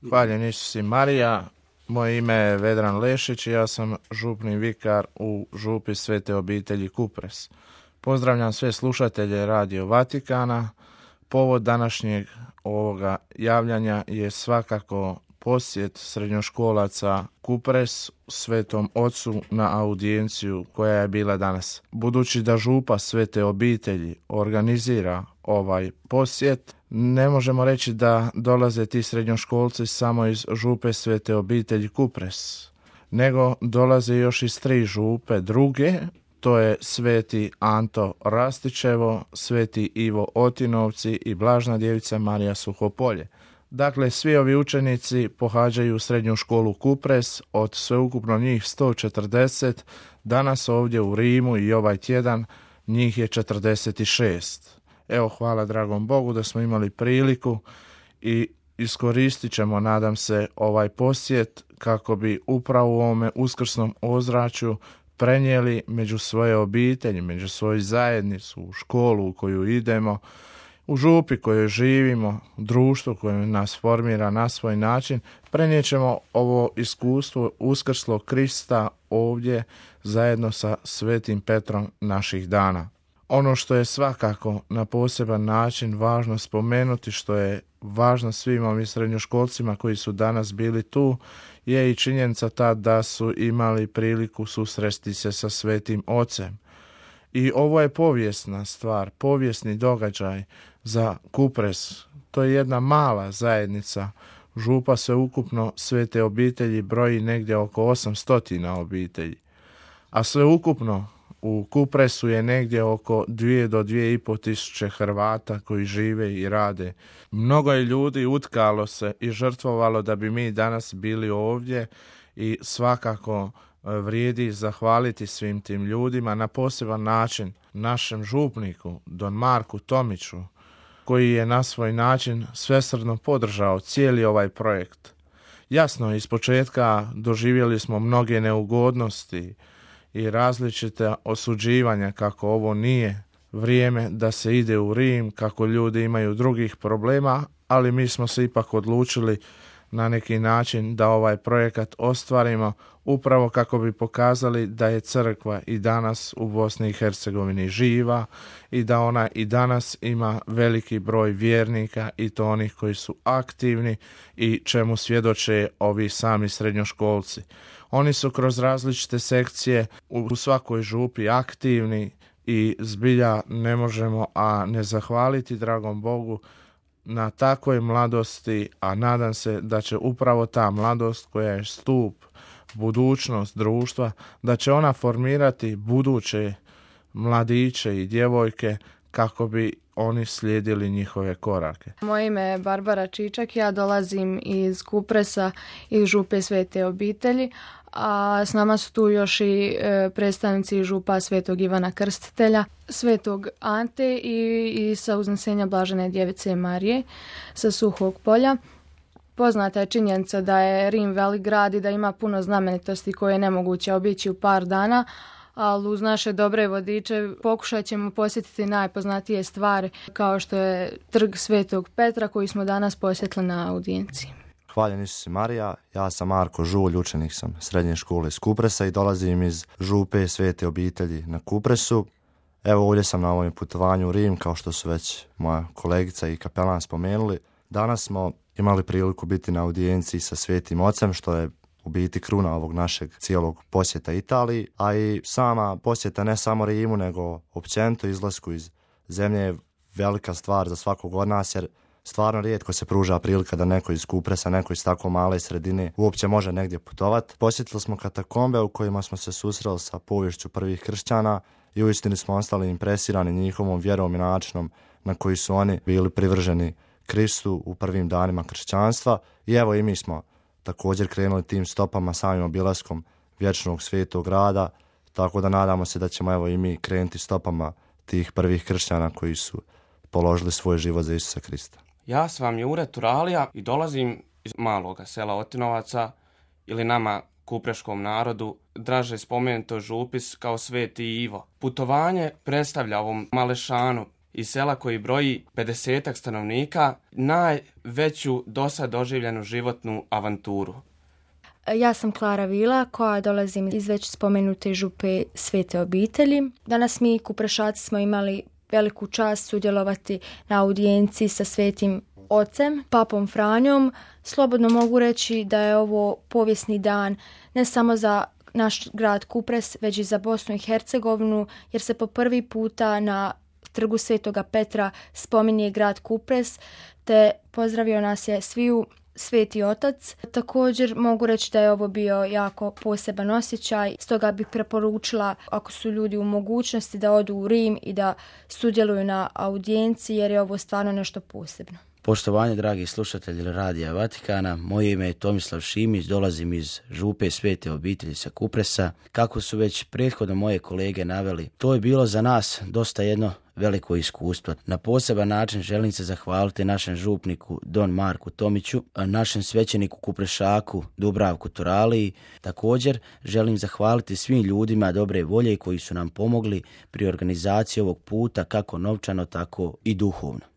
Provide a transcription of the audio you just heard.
Hvaljen Isus i Marija, moje ime je Vedran Lešić i ja sam župni vikar u župi Svete obitelji Kupres. Pozdravljam sve slušatelje Radio Vatikana. Povod današnjeg ovoga javljanja je svakako posjet srednjoškolaca Kupres Svetom Ocu na audijenciju koja je bila danas. Budući da župa Svete obitelji organizira ovaj posjet, ne možemo reći da dolaze ti srednjoškolci samo iz župe Svete obitelji Kupres, nego dolaze još iz 3 župe druge. To je Sveti Anto Rastićevo, Sveti Ivo Otinovci i Blažna djevica Marija Suhopolje. Dakle, svi ovi učenici pohađaju srednju školu Kupres, od sveukupno njih 140, danas ovdje u Rimu i ovaj tjedan njih je 46. Evo, hvala dragom Bogu da smo imali priliku i iskoristit ćemo, nadam se, ovaj posjet kako bi upravo u ovome uskrsnom ozračju prenijeli među svoje obitelji, među svoju zajednicu, u školu u koju idemo, u župi kojoj živimo, društvu koje nas formira na svoj način, prenijet ćemo ovo iskustvo uskrslog Krista ovdje zajedno sa Svetim Petrom naših dana. Ono što je svakako na poseban način važno spomenuti, što je važno svim ovim srednjoškolcima koji su danas bili tu, je i činjenica ta da su imali priliku susresti se sa Svetim Ocem. I ovo je povijesna stvar, povijesni događaj za Kupres. To je jedna mala zajednica. Župa sveukupno Svete obitelji broji negdje oko 800 obitelji. A sveukupno u Kupresu je negdje oko 2 do 2,5 tisuće Hrvata koji žive i rade. Mnogo je ljudi utkalo se i žrtvovalo da bi mi danas bili ovdje i svakako vrijedi zahvaliti svim tim ljudima, na poseban način našem župniku Don Marku Tomiću, koji je na svoj način svesrdno podržao cijeli ovaj projekt. Jasno, iz početka doživjeli smo mnoge neugodnosti i različite osuđivanja kako ovo nije vrijeme da se ide u Rim, kako ljudi imaju drugih problema, ali mi smo se ipak odlučili na neki način da ovaj projekat ostvarimo upravo kako bi pokazali da je crkva i danas u Bosni i Hercegovini živa i da ona i danas ima veliki broj vjernika i to onih koji su aktivni i čemu svjedoče ovi sami srednjoškolci. Oni su kroz različite sekcije u svakoj župi aktivni i zbilja ne možemo a ne zahvaliti dragom Bogu na takvoj mladosti, a nadam se da će upravo ta mladost koja je stup, budućnost društva, da će ona formirati buduće mladiće i djevojke kako bi oni slijedili njihove korake. Moje ime je Barbara Čičak, ja dolazim iz Kupresa i župe Svete obitelji, a s nama su tu još i predstavnici župa Svetog Ivana Krstitelja, Svetog Ante i sa uznesenja Blažene djevice Marije sa Suhog polja. Poznata je činjenica da je Rim velik grad i da ima puno znamenitosti koje je nemoguće obići u par dana, ali uz naše dobre vodiče pokušat ćemo posjetiti najpoznatije stvari kao što je trg Svetog Petra koji smo danas posjetili na audijenciji. Hvaljen Isus i Marija, ja sam Marko Žulj, učenik sam srednje škole iz Kupresa i dolazim iz župe Svete obitelji na Kupresu. Evo ovdje sam na ovom putovanju u Rim, kao što su već moja kolegica i kapelan spomenuli. Danas smo imali priliku biti na audijenciji sa Svetim Ocem, što je u biti kruna ovog našeg cijelog posjeta Italiji, a i sama posjeta ne samo Rimu, nego općenito izlasku iz zemlje je velika stvar za svakog od nas, jer stvarno rijetko se pruža prilika da neko iz Kupresa, neko iz tako male sredine uopće može negdje putovati. Posjetili smo katakombe u kojima smo se susreli sa poviješću prvih kršćana i uistinu smo ostali impresirani njihovom vjerom i načinom na koji su oni bili privrženi Kristu u prvim danima kršćanstva. I evo i mi smo također krenuli tim stopama samim obilaskom vječnog svetog grada, tako da nadamo se da ćemo evo i mi krenuti stopama tih prvih kršćana koji su položili svoj život za Isusa Krista. Ja sam Jure Turalija i dolazim iz maloga sela Otinovaca ili nama kupreškom narodu draže spomenuto župis kao Sveti Ivo. Putovanje predstavlja ovom malešanu iz sela koji broji 50 stanovnika najveću dosad doživljenu životnu avanturu? Ja sam Klara Vila koja dolazim iz već spomenute župe Svete obitelji. Danas mi Kuprešaci smo imali veliku čast sudjelovati na audijenciji sa Svetim Ocem, Papom Franjom. Slobodno mogu reći da je ovo povijesni dan ne samo za naš grad Kupres, već i za Bosnu i Hercegovinu, jer se po prvi puta na trgu Svetoga Petra spominje grad Kupres, te pozdravio nas je sviju Sveti Otac. Također mogu reći da je ovo bio jako poseban osjećaj, stoga bih preporučila ako su ljudi u mogućnosti da odu u Rim i da sudjeluju na audijenciji, jer je ovo stvarno nešto posebno. Poštovanje, dragi slušatelji Radija Vatikana, moje ime je Tomislav Šimić, dolazim iz župe Svete obitelji sa Kupresa. Kako su već prethodno moje kolege naveli, to je bilo za nas dosta jedno veliko iskustvo. Na poseban način želim se zahvaliti našem župniku Don Marku Tomiću, našem svećeniku Kuprešaku Dubravku Turaliji. Također želim zahvaliti svim ljudima dobre volje koji su nam pomogli pri organizaciji ovog puta kako novčano, tako i duhovno.